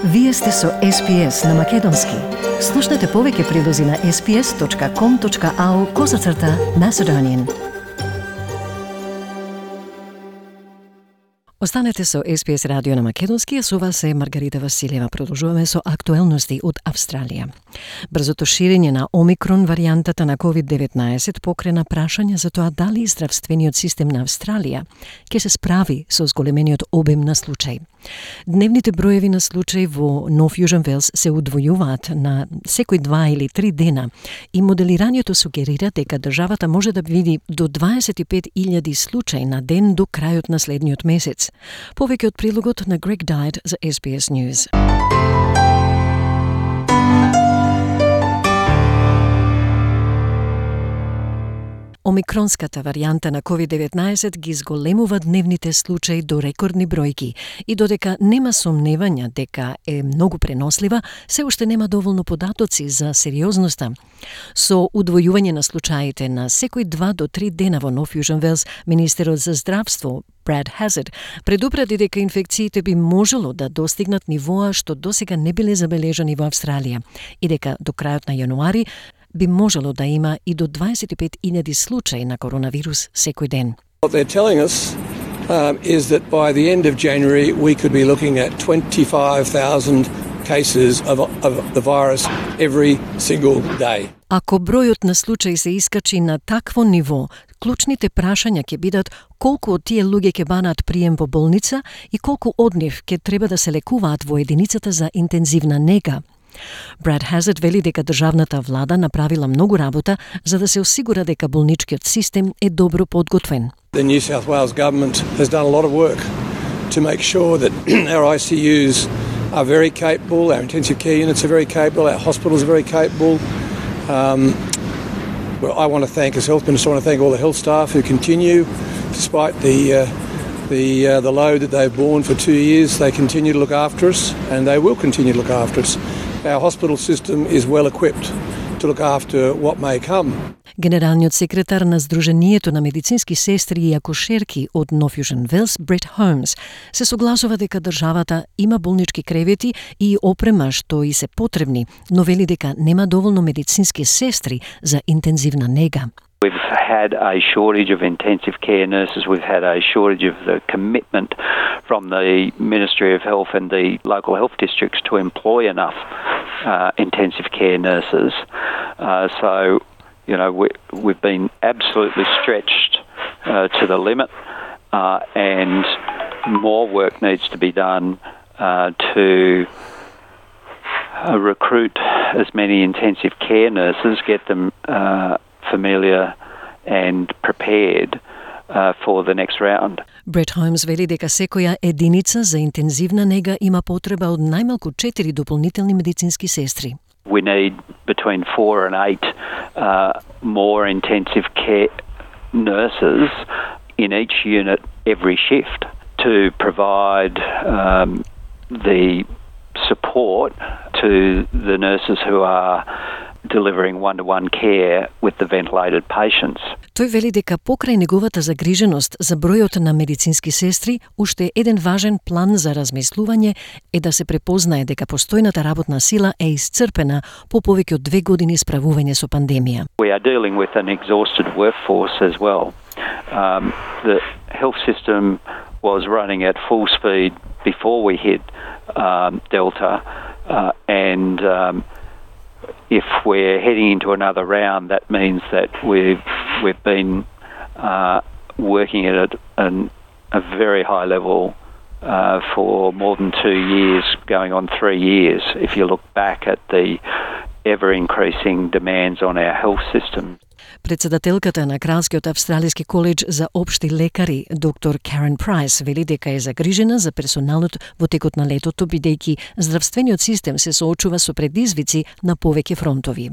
Вие сте со SPS на Македонски. Слушнете повеќе прилози на sps.com.au/Macedonian. Останете со SPS радио на Македонски, а со вас е Маргарита Василева. Продолжуваме со актуелности од Австралија. Брзото ширење на Омикрон варијантата на COVID-19 покрена прашање за тоа дали здравствениот систем на Австралија ќе се справи со зголемениот обем на случаи. Дневните броеви на случаи во Нов Јужен Велс се удвојуваат на секој 2 или 3 дена и моделирањето сугерира дека државата може да види до 25.000 случаи на ден до крајот на следниот месец. Повеќе од прилогот на Greg Dyett за SBS News. Омикронската варијанта на COVID-19 ги зголемува дневните случаи до рекордни бројки и додека нема сомневања дека е многу пренослива, се уште нема доволно податоци за сериозноста. Со удвојување на случаите на секој 2 до 3 дена во Нов Јужен Велс, министерот за здравство Brad Hazzard предупреди дека инфекциите би можело да достигнат нивоа што досега не биле забележани во Австралија и дека до крајот на јануари би можело да има и до 25.000 случаи на коронавирус секој ден. What they're telling us is that by the end of January we could be looking at 25,000 cases of the virus every single day. Ако бројот на случаи се искачи на такво ниво, клучните прашања ќе бидат колку од тие луѓе ќе банат прием во болница и колку од нив ќе треба да се лекуваат во единицата за интензивна нега. Brad Hazzard вели дека државната влада направила многу работа за да се осигура дека болничкиот систем е добро подготвен. The New South Wales government has done a lot of work to make sure that our ICUs are very capable, our intensive care units are very capable, our hospitals are very capable. Well, I want to thank, as Health Minister, I want to thank all the health staff who continue, despite the load that they've borne for 2 years, they continue to look after us, and they will continue to look after us. Our hospital system is well equipped to look after what may come. Генералниот секретар на Сдруженијето на медицински сестри и акушерки од Нов Јужен Велс, Брет Холмс, се согласува дека државата има болнички кревети и опрема што и се потребни, но вели дека нема доволно медицински сестри за интензивна нега. We've had a shortage of intensive care nurses. We've had a shortage of the commitment from the Ministry of Health and the local health districts to employ enough intensive care nurses. So, you know, we've been absolutely stretched to the limit, and more work needs to be done to recruit as many intensive care nurses, get them familiar and prepared for the next round. Брет Холмс вели дека секоја единица за интензивна нега има потреба од најмалку 4 дополнителни медицински сестри. We need between 4 and 8 more intensive care nurses in each unit every shift to provide the support to the nurses who are delivering one-to-one care with the ventilated patients. Тој вели дека покрај неговата загриженост за бројот на медицински сестри, уште еден важен план за размислување е да се препознае дека постојната работна сила е исцрпена по повеќе од 2 години справување со пандемија. We are dealing with an exhausted workforce as well. The health system was running at full speed before we hit Delta, and if we're heading into another round, that means that we've been working at a very high level for more than 2 years, going on 3 years, if you look back at the ever-increasing demands on our health system. Председателката на Кралскиот австралиски коледж за општи лекари, доктор Карен Прайс, вели дека е загрижена за персоналот во текот на летото, бидејќи здравствениот систем се соочува со предизвици на повеќе фронтови.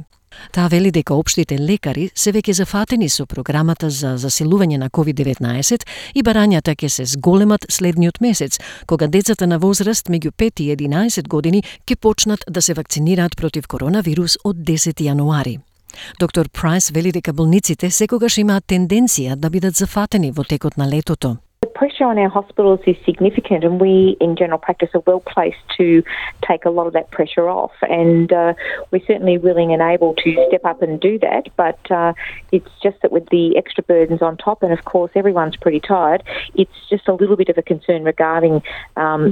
Таа вели дека општите лекари се веќе зафатени со програмата за заселување на COVID-19 и барањата ќе се зголемат следниот месец, кога децата на возраст меѓу 5 и 11 години ќе почнат да се вакцинираат против коронавирус од 10 јануари. Доктор Прайс вели дека болниците секогаш имаат тенденција да бидат зафатени во текот на летото. The pressure on our hospitals is significant, and we in general practice are well placed to take a lot of that pressure off, and we're certainly willing and able to step up and do that, but it's just that with the extra burdens on top, and of course everyone's pretty tired, it's just a little bit of a concern regarding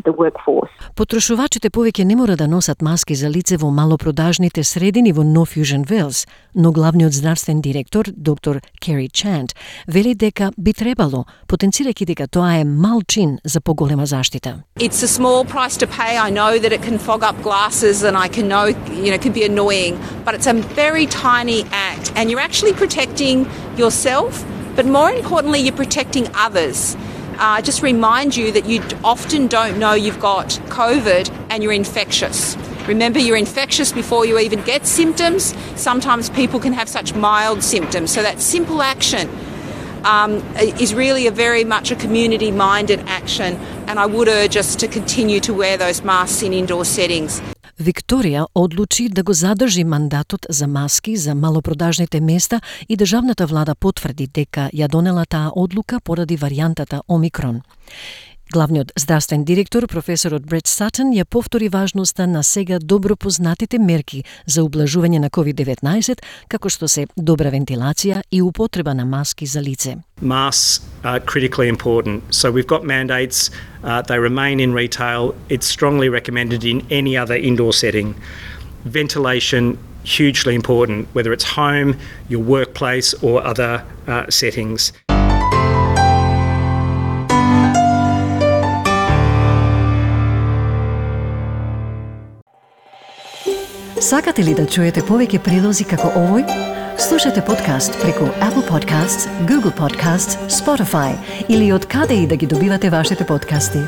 the workforce. Потрошувачите повеќе не мора да носат маски за лице во малопродажните средини во North Fusion Wales, но главниот здравствен директор, доктор Керри Чант, вели дека би требало, потенцирајќи дека тоа е мал чин за поголема заштита. It's a small price to pay. I know that it can fog up glasses and I can know, can be annoying, but it's a very tiny act and you're actually protecting yourself, but more importantly, you're protecting others. Just remind you that you often don't know you've got COVID and you're infectious. Remember, you're infectious before you even get symptoms. Sometimes people can have such mild symptoms. So that simple action is really a very much a community-minded action, and I would urge us to continue to wear those masks in indoor settings. Викторија одлучи да го задржи мандатот за маски за малопродажните места и државната влада потврди дека ја донела таа одлука поради варијантата Омикрон. Главниот здравствен директор, професорот Брет Сатон, ја повтори важноста на сега добро познатите мерки за ублажување на COVID-19, како што се добра вентилација и употреба на маски за лице. Masks are critically important. So we've got mandates, they remain in retail. It's strongly recommended in any other indoor setting. Ventilation, hugely important, whether it's home, your workplace or other settings. Сакате ли да чуете повеќе прилози како овој? Слушате подкаст преку Apple Podcasts, Google Podcasts, Spotify или од каде и да ги добивате вашите подкасти.